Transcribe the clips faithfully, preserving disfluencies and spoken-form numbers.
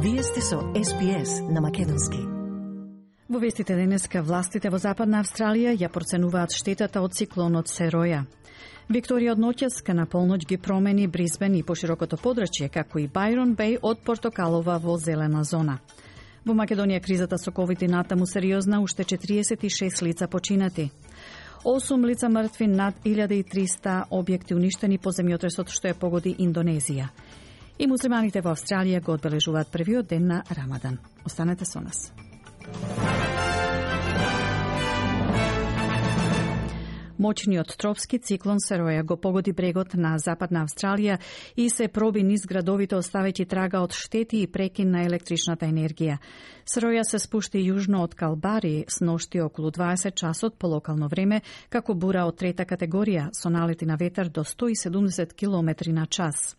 Вие сте со Ес Би Ес на македонски. Во вестите денеска властите во Западна Австралија ја проценуваат штетата од циклонот Сероја. Викторија од ноќеска на полноќ ги промени Брисбен и поширокото подрачје, како и Байрон Беј од Портокалова во зелена зона. Во Македонија кризата со ковид и натаму сериозна, уште четириесет и шест лица починати. осум лица мртви, над илјада и триста објекти уништени по земјотресот што ја погоди Индонезија. И муслиманите во Австралија го одбележуваат првиот ден на Рамадан. Останете со нас. Моćниот тропски циклон Сероја го погоди брегот на Западна Австралија и се проби низ градовите, оставејќи трага од штети и прекин на електричната енергија. Сероја се спушти јужно од Калбари сношти околу дваесет часот по локално време, како бура од трета категорија, со налети на ветар до сто и седумдесет километри на час.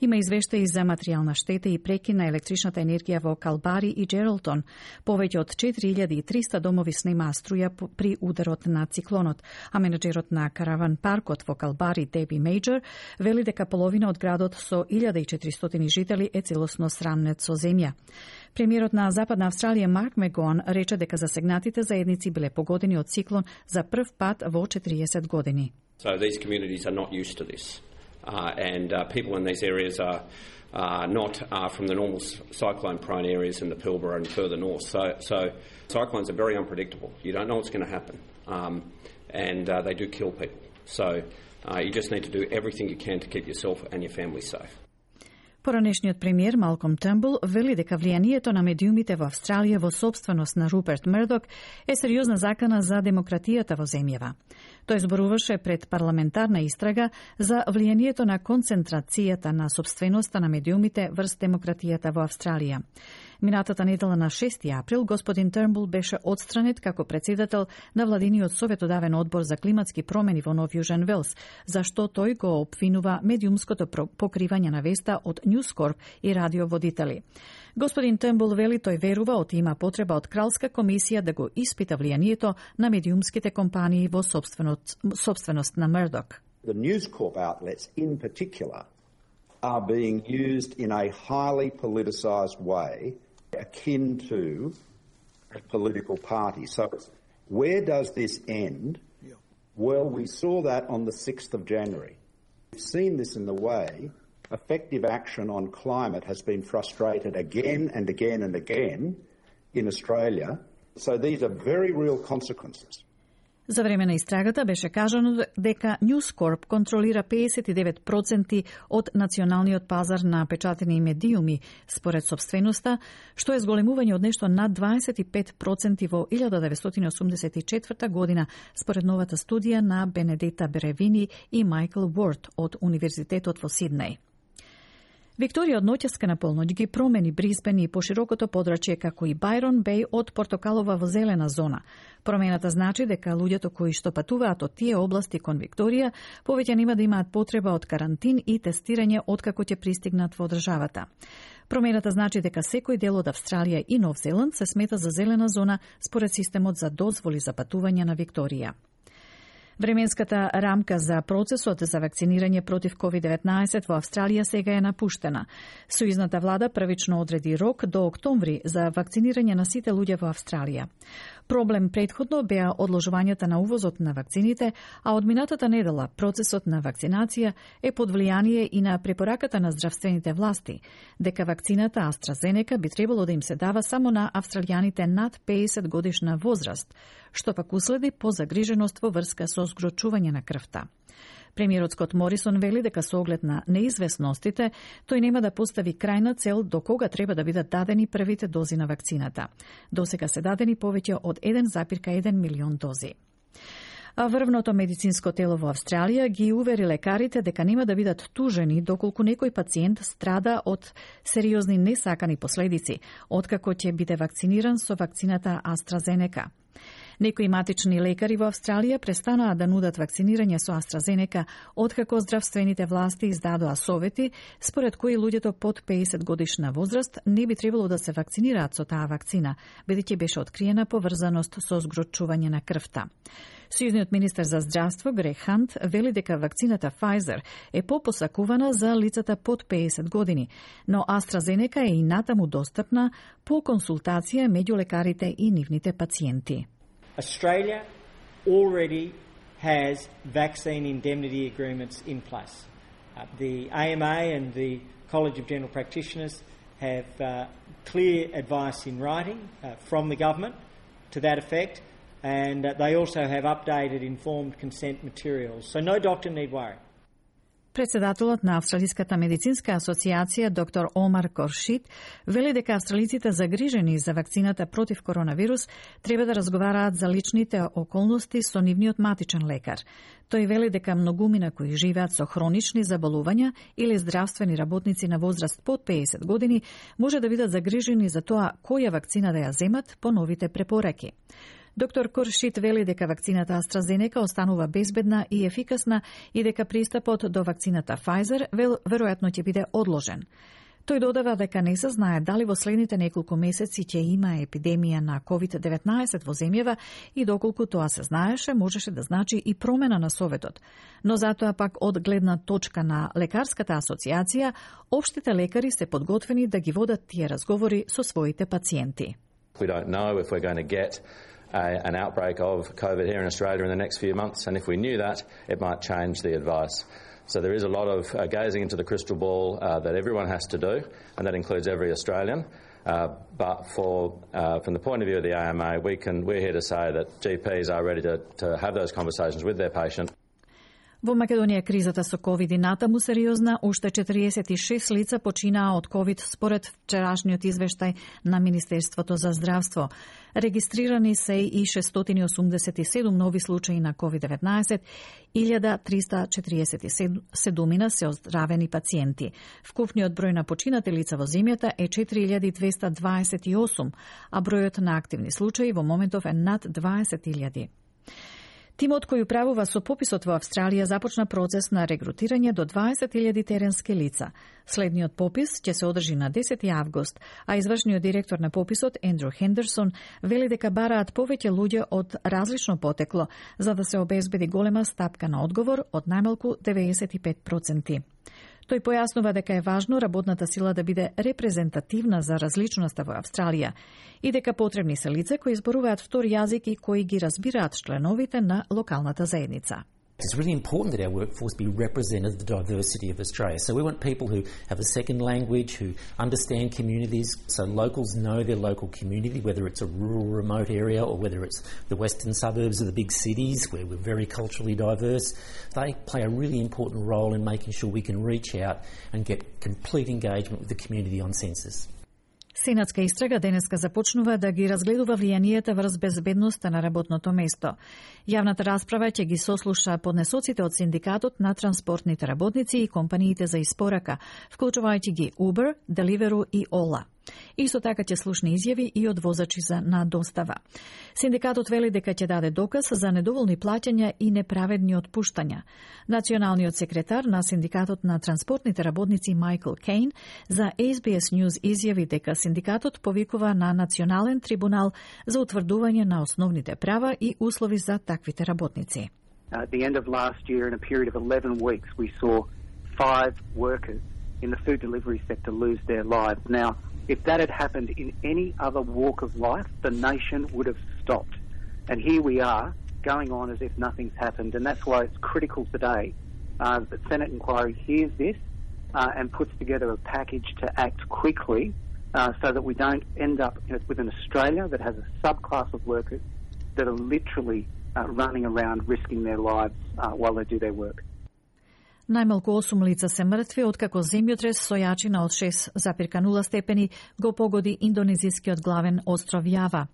Има извештаи за материјална штета и прекин на електричната енергија во Калбари и Джералтон. Повеќе од четири илјади и триста домови снемаа струја при ударот на циклонот, а менеджерот на караван паркот во Калбари, Деби Мејджор, вели дека половина од градот со илјада и четиристотини жители е целосно срамнет со земја. Премиерот на Западна Австралија Марк Мегон рече дека засегнатите заедници биле погодени од циклон за прв пат во четириесет години. So these communities are not used to this. Uh, and uh, people in these areas are uh, not uh, from the normal cyclone-prone areas in the Pilbara and further north. So, so cyclones are very unpredictable. You don't know what's going to happen, um, and uh, they do kill people. So uh, you just need to do everything you can to keep yourself and your family safe. Поранешниот премиер Малком Трнбул вели дека влијанието на медиумите во Австралија во собственост на Руперт Мердок е сериозна закана за демократијата во земјава. Тој зборуваше пред парламентарна истрага за влијанието на концентрацијата на собственоста на медиумите врз демократијата во Австралија. Минатата недела на шести април господин Трнбул беше одстранет како председател на владиниот советодавен одбор за климатски промени во Нов Јужен Велс, зашто тој го обвинува медиумското покривање на веста од News Corp и радиоводители. Господин Трнбул вели тој верува оти има потреба од кралска комисија да го испита влијанието на медиумските компании во собственост, собственост на Мердок. The News Corp outlets in particular are being used in a highly politicised way akin to a political party. So where does this end? Well, we saw that on the sixth of January. We've seen this in the way effective action on climate has been frustrated again and again and again in Australia. So these are very real consequences. За време на истрагата беше кажано дека News Corp контролира педесет и девет проценти од националниот пазар на печатени медиуми според собственоста, што е зголемување од нешто над дваесет и пет проценти во илјада деветстотини осумдесет и четврта година според новата студија на Бенедета Беревини и Майкл Уорд од Универзитетот во Сиднеј. Викторија од ноќеска на полноќ ги промени Брисбен и поширокото подрачје, како и Байрон Беј од Портокалова во зелена зона. Промената значи дека луѓето кои што патуваат од тие области кон Викторија повеќе нема да имаат потреба од карантин и тестирање откако ќе пристигнат во државата. Промената значи дека секој дел од Австралија и Нов Зеланд се смета за зелена зона според системот за дозволи за патување на Викторија. Временската рамка за процесот за вакцинирање против ковид деветнаесет во Австралија сега е напуштена. Сојузната влада првично одреди рок до октомври за вакцинирање на сите луѓе во Австралија. Проблем претходно беа одложувањата на увозот на вакцините, а од минатата недела процесот на вакцинација е под влијание и на препораката на здравствените власти, дека вакцината AstraZeneca би требало да им се дава само на австралијаните над педесет годишна возраст, што пак уследи по загриженост во врска со згрочување на крвта. Премиерот Скот Морисон вели дека со оглед на неизвестностите, тој нема да постави крајна цел до кога треба да бидат дадени првите дози на вакцината. Досега се дадени повеќе од еден зарез еден милион дози. А врвното медицинско тело во Австралија ги увери лекарите дека нема да бидат тужени доколку некој пациент страда од сериозни несакани последици, откако ќе биде вакциниран со вакцината AstraZeneca. Некои матични лекари во Австралија престанаа да нудат вакцинирање со AstraZeneca, откако здравствените власти издадоа совети, според кои луѓето под педесет годишна возраст не би требало да се вакцинираат со таа вакцина, бидејќи беше откриена поврзаност со згрочување на крвта. Сојузниот министер за здравство Грег Хант вели дека вакцината Pfizer е попосакувана за лицата под педесет години, но AstraZeneca е и натаму достапна по консултација меѓу лекарите и нивните пациенти. Australia already has vaccine indemnity agreements in place. Uh, the A M A and the College of General Practitioners have uh, clear advice in writing uh, from the government to that effect, and uh, they also have updated informed consent materials. So no doctor need worry. Председателот на Австралиската медицинска асоциација доктор Омар Коршит вели дека австралиците загрижени за вакцината против коронавирус треба да разговараат за личните околности со нивниот матичен лекар. Тој вели дека многумина кои живеат со хронични заболувања или здравствени работници на возраст под педесет години може да бидат загрижени за тоа која вакцина да ја земат по новите препораки. Доктор Коршит вели дека вакцината AstraZeneca останува безбедна и ефикасна и дека пристапот до вакцината Pfizer веројатно ќе биде одложен. Тој додава дека не се знае дали во следните неколку месеци ќе има епидемија на ковид деветнаесет во земјава и доколку тоа се знаеше, можеше да значи и промена на советот. Но затоа пак од гледна точка на лекарската асоциација, општите лекари се подготвени да ги водат тие разговори со своите пациенти. We don't know if we're going to get A, an outbreak of COVID here in Australia in the next few months, and if we knew that, it might change the advice. So there is a lot of uh, gazing into the crystal ball uh, that everyone has to do, and that includes every Australian. Uh, but for, uh, from the point of view of the A M A, we can, we're here to say that G Ps are ready to, to have those conversations with their patient. Во Македонија кризата со ковид и натаму сериозна, уште четириесет и шест лица починаа од ковид според вчерашниот извештај на Министерството за здравство. Регистрирани се и шестстотини осумдесет и седум нови случаи на ковид деветнаесет, илјада триста четириесет и седум се оздравени пациенти. Вкупниот број на починати лица во земјата е четири илјади двеста дваесет и осум, а бројот на активни случаи во моментов е над дваесет илјади. Тимот кој управува со пописот во Австралија започна процес на регрутирање до дваесет илјади теренски лица. Следниот попис ќе се одржи на десети август, а извршниот директор на пописот Ендрю Хендерсон вели дека бараат повеќе луѓе од различно потекло за да се обезбеди голема стапка на одговор од најмалку деветдесет и пет проценти. Тој појаснува дека е важно работната сила да биде репрезентативна за различноста во Австралија и дека потребни се лица кои зборуваат втори јазик и кои ги разбираат членовите на локалната заедница. It's really important that our workforce be representative of the diversity of Australia. So we want people who have a second language, who understand communities, so locals know their local community, whether it's a rural, remote area or whether it's the western suburbs of the big cities where we're very culturally diverse. They play a really important role in making sure we can reach out and get complete engagement with the community on census. Сенатска истрага денеска започнува да ги разгледува влијанието врз безбедноста на работното место. Јавната расправа ќе ги сослуша поднесоците од синдикатот на транспортните работници и компаниите за испорака, вклучувајќи ги Uber, Deliveroo и Ola. Исто така ќе слушне изјави и од возачи за на достава. Синдикатот вели дека ќе даде доказ за недоволни плаќања и неправедни отпуштања. Националниот секретар на синдикатот на транспортните работници Майкл Кейн за Ес Би Ес News изјави дека синдикатот повикува на национален трибунал за утврдување на основните права и услови за таквите работници. At the end of last year, in a period of eleven weeks, we saw five workers in the food delivery sector lose their lives. Now, if that had happened in any other walk of life, the nation would have stopped. And here we are, going on as if nothing's happened. And that's why it's critical today uh, that Senate inquiry hears this uh, and puts together a package to act quickly uh, so that we don't end up with an Australia that has a subclass of workers that are literally uh, running around risking their lives uh, while they do their work. Најмалку осум лица се мртви откако земјотрес со јачина од шест запирка нула степени го погоди индонезискиот главен остров Јава.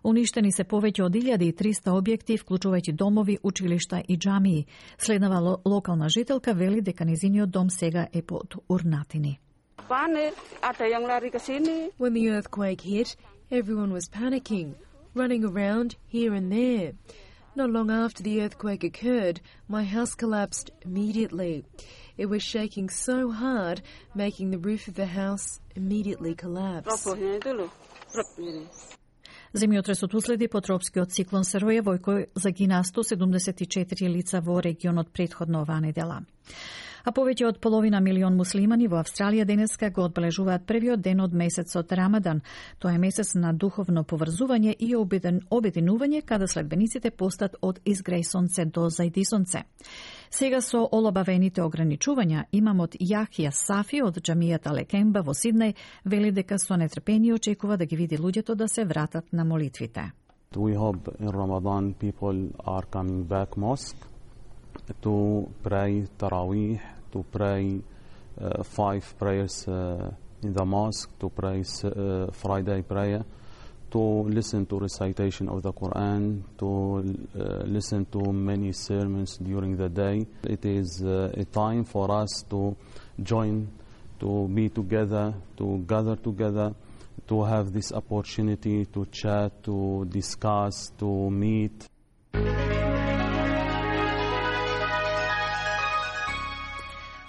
Уништени се повеќе од илјада и триста објекти, вклучувајќи домови, училишта и џамии. Следнава ло- локална жителка вели дека незиниот дом сега е под урнатини. When the earthquake hit, everyone was panicking. running around here and there. Not long after the earthquake occurred, my house collapsed immediately. It was shaking so hard, making the roof of the house immediately collapse. Земјотресот уследи по тропскиот циклон Сероја, во кој загинаа сто седумдесет и четири лица во регионот претходно оваа недела. А повеќе од половина милион муслимани во Австралија денеска го одбележуваат првиот ден од месецот Рамадан. Тоа е месец на духовно поврзување и обединување, каде следбениците постат од изгреј сонце до зајди сонце. Сега со олабавените ограничувања, имамот Јахија Сафи од џамијата Лекемба во Сиднеј вели дека со нетрпение очекува да ги види луѓето да се вратат на молитвите. We hope in Ramadan people are coming back mosque to pray Taraweeh, to pray uh, five prayers uh, in the mosque, to pray uh, Friday prayer, to listen to recitation of the Quran, to uh, listen to many sermons during the day. It is uh, a time for us to join, to be together, to gather together, to have this opportunity to chat, to discuss, to meet.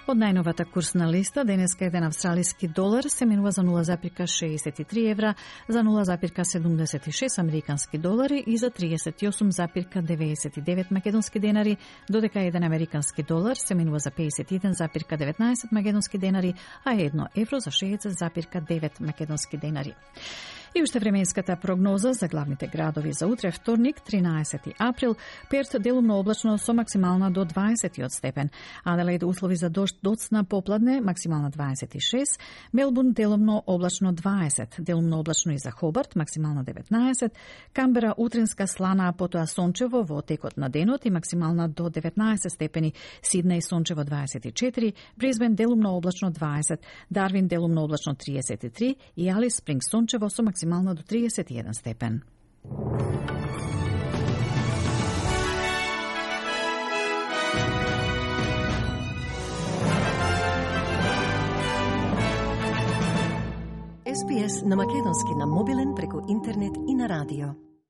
Од најновата курсна листа, денеска еден австралиски долар се менува за нула запирка шеесет и три евра, за нула запирка седумдесет и шест американски долари и за триесет и осум запирка деветдесет и девет македонски денари, додека еден американски долар се менува за пеесет и еден запирка деветнаесет македонски денари, а едно евро за шеесет запирка девет македонски денари. И уште временската прогноза за главните градови за утре, вторник, тринаесети април, Перт делумно облачно со максимална до дваесет степен, Аделаид услови за дожд доцна попладне, максимална дваесет и шест, Мелбурн делумно облачно дваесет, делумно облачно и за Хобарт, максимална деветнаесет, Камбера утринска слана, а потоа сончево во текот на денот и максимална до деветнаесет степени, Сиднеј сончево дваесет и четири, Брисбен делумно облачно дваесет, Дарвин делумно облачно триесет и три и Алис Спрингс сончево со максимална максимално до триесет и еден степен. Ес Би Ес на македонски на мобилен преку интернет и на радио.